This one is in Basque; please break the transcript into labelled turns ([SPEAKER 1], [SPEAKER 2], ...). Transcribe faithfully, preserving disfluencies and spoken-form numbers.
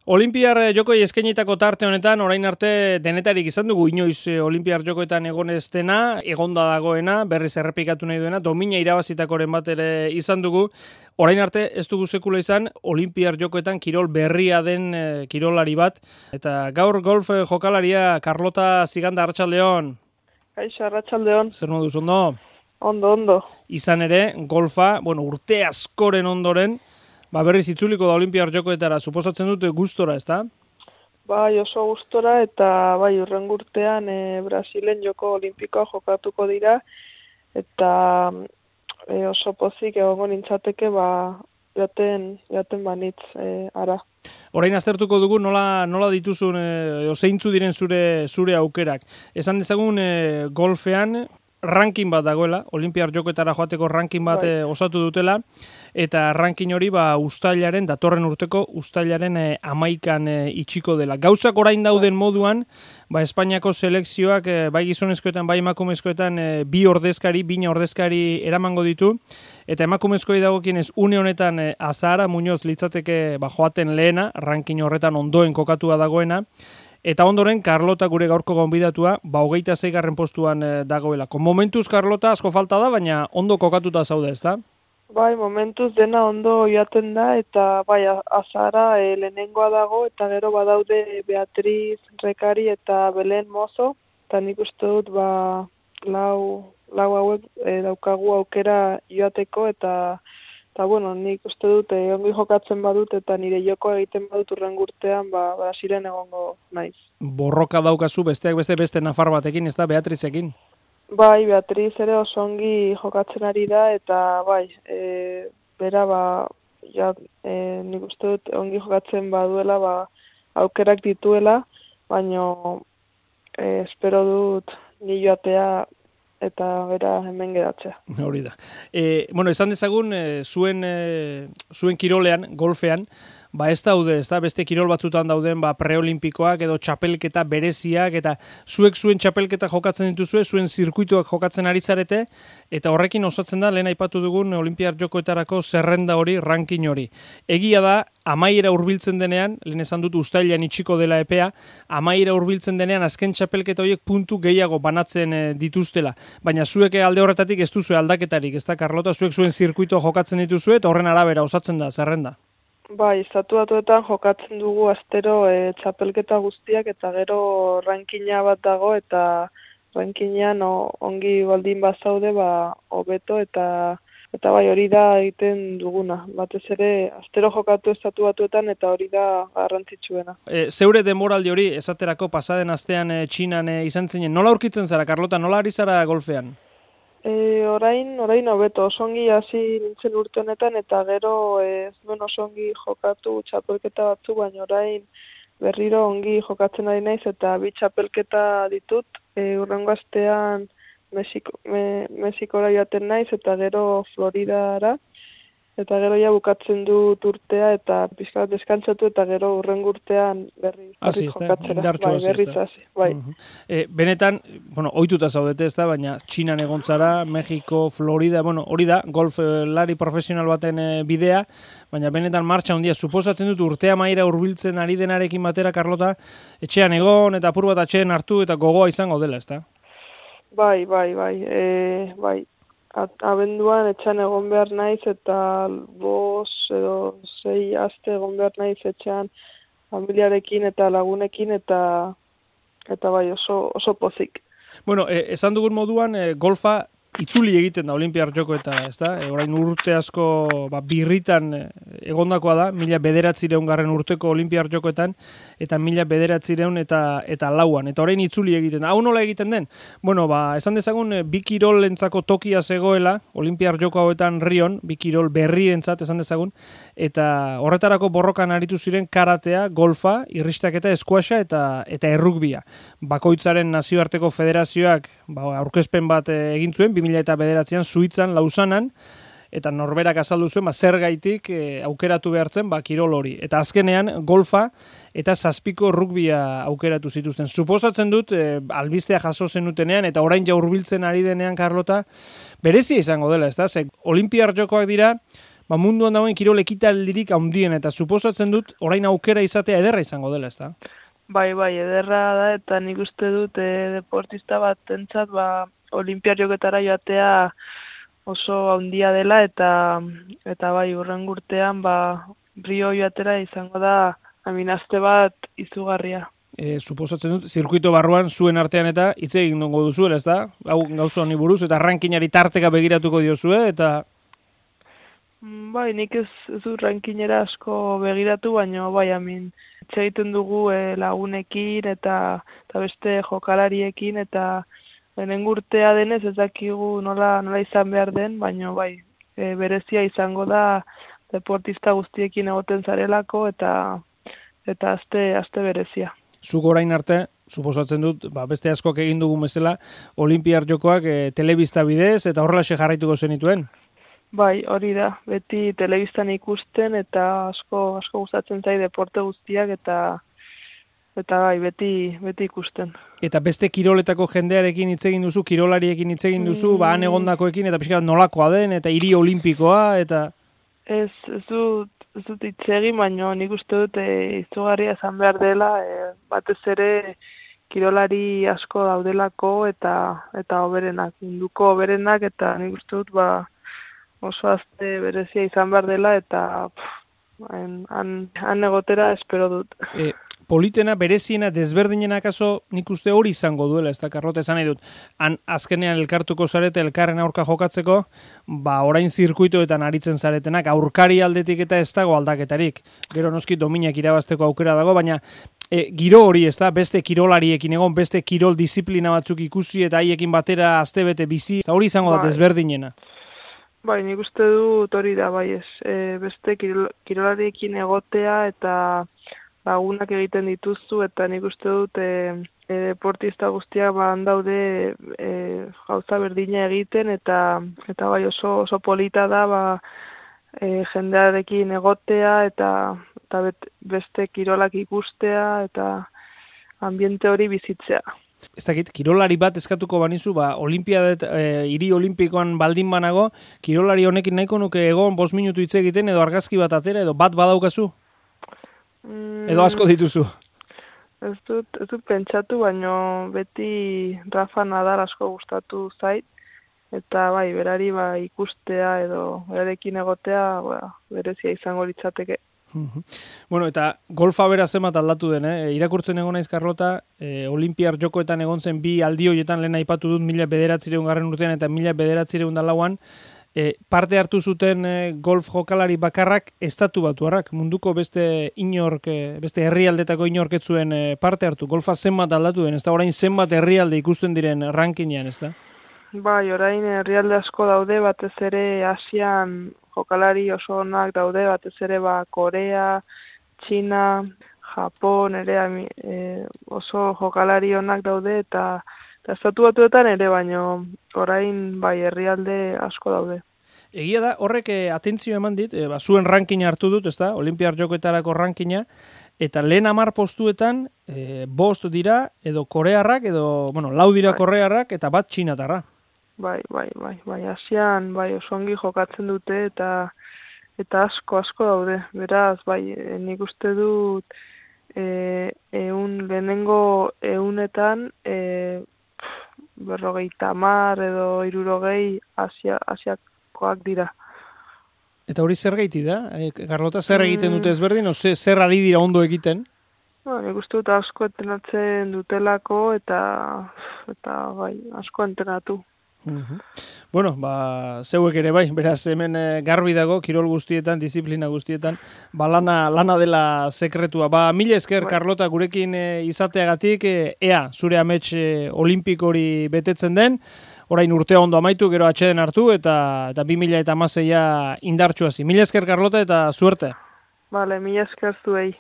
[SPEAKER 1] Olimpiar jokoi eskainitako tarte honetan, orain arte denetarik izan dugu, inoiz Olimpiar jokoetan egon ez dena, egonda dagoena, berriz errepikatu nahi duena, domina irabazitakoren bat ere izan dugu. Orain arte ez dugu sekula izan, Olimpiar jokoetan kirol berria den e, kirolari bat. Eta gaur golf jokalaria, Carlota Ziganda, Arratsaldeon.
[SPEAKER 2] Kaixo, Arratsaldeon.
[SPEAKER 1] Zer moduz, ondo?
[SPEAKER 2] Ondo, ondo.
[SPEAKER 1] Izan ere, golfa, bueno, urte askoren ondoren, ba berriz itzuliko da Olimpiar jokoetara, suposatzen dute gustora, ezta?
[SPEAKER 2] Bai, oso gustora eta bai, urrengo urtean e, Brasilen joko olimpikoa jokatuko dira eta e, oso pozik egongo nintzateke ba jaten jaten banitz e, ara.
[SPEAKER 1] Orain aztertuko dugu nola nola dituzun edo zeintzu diren zure zure aukerak. Esan dezagun e, golfean ranking bat dagoela, Olimpiar jokoetara joateko ranking bat bai. osatu dutela, eta ranking hori ba uztailaren, datorren urteko uztailaren e, amaikan e, itxiko dela. Gauzak orain dauden bai. moduan, ba Espainiako selekzioak e, bai gizonezkoetan, bai emakumezkoetan e, bi ordezkari, bina ordezkari eramango ditu, eta emakumezkoi dagokienez une honetan e, Azahara Muñoz litzateke ba joaten lehena, ranking horretan ondoen kokatua dagoena, eta ondoren, Carlota gure gaurko gonbidatua, ba hogeita seigarren postuan e, dagoelako. Momentuz, Carlota, asko falta da, baina ondo kokatuta zaude, ezta?
[SPEAKER 2] Bai, momentuz dena ondo joaten da, eta bai, Azahara e, lehenengoa dago, eta gero badaude Beatriz Rekari eta Belen Mozo, eta nik uste dut, ba, lau, lau hauek e, daukagu aukera joateko, eta Eta, bueno, nik uste dut, eh, ongi jokatzen badut eta nire joko egiten badut urrengo urtean, ba, Brasilen egongo naiz.
[SPEAKER 1] Borroka daukazu besteak beste beste nafar batekin, ez da, Beatrizekin?
[SPEAKER 2] Bai, Beatriz ere oso ongi jokatzen ari da, eta bai, e, bera, ba, ja, e, nik uste dut ongi jokatzen baduela, ba, aukerak dituela, baina e, espero dut ni joatea eta bera hemen geratzea.
[SPEAKER 1] Hori da. E, bueno, esan dezagun, e, zuen, e, zuen kirolean, golfean, ba ez daude, ez da, beste kirol batzutan dauden, ba preolimpikoak edo txapelketa bereziak, eta zuek zuen txapelketa jokatzen dituzue, zuen zirkuituak jokatzen ari zarete, eta horrekin osatzen da, lehen aipatu dugun Olimpiar jokoetarako zerrenda hori, ranking hori. Egia da, amaiera hurbiltzen denean, lehen esan dut uztailean itxiko dela epea, amaiera hurbiltzen denean azken txapelketa horiek puntu gehiago banatzen e, dituztela. Baina zuek alde horretatik ez duzue aldaketarik, ez da, Carlota, zuek zuen zirkuitua jokatzen dituzue, eta horren arabera osatzen da, zerrenda.
[SPEAKER 2] Bai, estatu batuetan jokatzen dugu astero e, txapelketa guztiak eta gero rankina bat dago eta rankinean ongi baldin bazaude ba hobeto eta eta bai hori da egiten duguna. Batez ere astero jokatu estatu batuetan eta hori da garrantzitsuena.
[SPEAKER 1] E, zeure denboraldi hori esaterako pasaden astean e, Txinan e, izan zinen. Nola aurkitzen zara, Carlota? Nola ari zara golfean?
[SPEAKER 2] E, orain, orain hobeto, osongi hasi nintzen urte honetan eta gero ez duen osongi jokatu txapelketa batzu, baina orain berriro ongi jokatzen ari naiz eta bi txapelketa ditut. E, urrengo astean Mexiko, me, Mexikora joaten naiz eta gero Floridara. Eta gero ja bukatzen dut urtea eta pizkat deskantzatu eta gero urrengo urtean berri
[SPEAKER 1] berri jokatzera.
[SPEAKER 2] Bai, berriz hasi, bai.
[SPEAKER 1] Uh-huh. e, benetan, bueno, ohituta zaudete, ez da, baina Txinan egon zara, Mexiko, Florida, bueno, hori da, golflari profesional baten e, bidea, baina benetan martxa handia, suposatzen dut urtea maira hurbiltzen ari denarekin batera, Carlota, etxean egon eta apur bat atxeen hartu eta gogoa izango dela, ez da?
[SPEAKER 2] Bai, bai, bai, e, bai. Abenduan etxean egon behar naiz eta bos edo sei aste egon behar naiz etxean familiarekin eta lagunekin eta eta bai oso, oso pozik.
[SPEAKER 1] Bueno, eh, esan dugun moduan eh, golfa itzuli egiten da Olimpiar jokoetara, ez da? E, orain urte asko ba, birritan egondakoa da, mila bederatzireun garren urteko Olimpiar jokoetan, eta mila bederatzireun eta, eta lauan. Eta orain itzuli egiten da. Hau nola egiten den? Bueno, ba, esan dezagun, bi kirolentzako tokia zegoela, Olimpiar joko hauetan Rion, bi kirol berrientzat esan dezagun, eta horretarako borrokan aritu ziren karatea, golfa, irristaketa, eskuaxa eta, eta errugbia. Bakoitzaren nazioarteko federazioak ba, aurkezpen bat egin zuen, bi mila bederatzian Suitzan, Lausanan, eta norberak azaldu zuen, ba, zergaitik e, aukeratu behartzen, ba, kirol hori. Eta azkenean, golfa eta zazpiko rugbia aukeratu zituzten. Suposatzen dut, e, albistea jaso zenutenean, eta orain ja hurbiltzen ari denean, Carlota, berezia izango dela, ez da? Ze, Olimpiar jokoak dira, ba, munduan dagoen kirol ekitaldirik handien, eta suposatzen dut, orain aukera izatea ederra izango dela, ez da?
[SPEAKER 2] Bai, bai, ederra da, eta nik uste dut e, deportista bat entzat, ba, olimpiar joketara joatea oso handia dela, eta eta bai, urren urtean, ba, Rio joatera izango da aminazte bat izugarria.
[SPEAKER 1] E, suposatzen dut, zirkuito barruan zuen artean eta hitz egin dongo duzuela, ez da? Hau gauza honi buruz, eta rankinari tarteka begiratuko diozue, eta...
[SPEAKER 2] Bai, nik ez, ez dut rankinera asko begiratu, baina bai, amin, hitz egiten dugu e, lagunekin eta, eta beste jokalariekin, eta lehenengo urtea denez ez dakigu nola, nola izan behar den, baina bai, e, berezia izango da deportista guztiekin egoten zarelako, eta eta azte, azte berezia.
[SPEAKER 1] Zuk orain arte, suposatzen dut, ba, beste askoak egin dugun bezala, Olimpiar Jokoak e, telebista bidez eta horrelaxe jarraituko zenituen?
[SPEAKER 2] Bai, hori da, beti telebistan ikusten eta asko asko gustatzen zai deporte guztiak eta eta bai, beti beti ikusten. Eta
[SPEAKER 1] beste kiroletako jendearekin hitz egin duzu, kirolariekin hitz egin duzu, mm. ba han egondakoekin eta pixka bat nolakoa den eta hiri olimpikoa eta
[SPEAKER 2] Ez, ez dut, ez dut hitz egin, baina nik uste dut e, izugarria esan behar dela, e, batez ere kirolari asko daudelako eta eta oberenak, munduko oberenak, eta nik uste dut ba, oso azte berezia izan behar dela, eta pff, han, han egotera espero dut.
[SPEAKER 1] E, politena, bereziena, desberdinena akaso nik uste hori izango duela, ez da, Karlota, esan nahi dut. Han azkenean elkartuko zarete, elkarren aurka jokatzeko, ba, orain zirkuitoetan aritzen zaretenak, aurkari aldetik eta ez dago aldaketarik. Gero noski dominak irabazteko aukera dago, baina e, giro hori, ez da, beste kirolariekin egon, beste kirol disiplina batzuk ikusi eta haiekin batera astebete bizi, hori izango da desberdinena.
[SPEAKER 2] Bai, nik uste dut hori da, bai ez, e, beste kirol, kirolariekin egotea eta lagunak egiten dituzu, eta nik uste dut e, e, deportista guztiak ba handaude e, gauza berdina egiten, eta eta bai oso oso polita da ba e, jendearekin egotea eta eta bet, beste kirolak ikustea eta ambiente hori bizitzea.
[SPEAKER 1] Ez dakit, kirolari bat eskatuko banizu, ba, olimpiadet, e, hiri olimpikoan baldin banago, kirolari honekin nahiko nuke egon bost minutu hitz egiten, edo argazki bat atera, edo bat badaukazu? Edo asko dituzu?
[SPEAKER 2] Ez dut, ez dut pentsatu, baino beti Rafa Nadal asko gustatu zait, eta bai, berari ba, ikustea edo berarekin egotea ba, berezia izango litzateke.
[SPEAKER 1] Bueno, eta golfa bera zemat aldatu den, eh? Irakurtzen egon naiz, Karlota, eh, Olimpiar Jokoetan egon zen bi aldi horietan lehen aipatu dut mila bederatzireun garren urtean eta mila bederatzireun da lauan, E, parte hartu zuten e, golf jokalari bakarrak estatu batuarrak, munduko beste inork, e, beste herrialdetako inork ez zuen e, parte hartu. Golfa zenbat aldatu den, ez da orain zenbat herrialde ikusten diren rankinean, ez da?
[SPEAKER 2] Bai, orain herrialde asko daude, batez ere Asian jokalari oso onak daude, batez ere ba Korea, Txina, Japon, ere e, oso jokalari onak daude, eta Eta estatu batuetan ere, baino orain bai herrialde asko daude.
[SPEAKER 1] Egia da, horrek eh, atentzio eman dit, eh, ba, zuen rankina hartu dut, ez da, Olimpiar Jokoetarako rankina, eta lehen hamar postuetan eh, bost dira, edo korearrak, edo, bueno, lau dira bai. Korearrak, eta bat txinatarra.
[SPEAKER 2] Bai, bai, bai, bai, Asian, bai, oso ongi jokatzen dute, eta eta asko, asko daude. Beraz, bai, nik uste dut, e, eun, lehenengo eunetan, e, berrogeita hamar edo hirurogei Asia, asiakoak dira.
[SPEAKER 1] Eta hori zer gaiti da? E, Karlota, zer egiten dute ezberdin, o zer ari dira ondo egiten?
[SPEAKER 2] No, nik uste dut asko entrenatzen dutelako eta eta bai, asko entrenatu.
[SPEAKER 1] Uh-huh. Bueno, ba, zeuek ere bai, beraz hemen e, garbi dago, kirol guztietan, disiplina guztietan, ba, lana, lana dela sekretua. Ba, mila esker, bai. Karlota, gurekin e, izateagatik, e, ea, zure amets e, olimpiko hori betetzen den, orain urtea ondo amaitu, gero atxeden hartu, eta, eta bi mila eta hamaseia indartsuazi. Mila esker, Karlota, eta suerte.
[SPEAKER 2] Vale, mila esker zuei.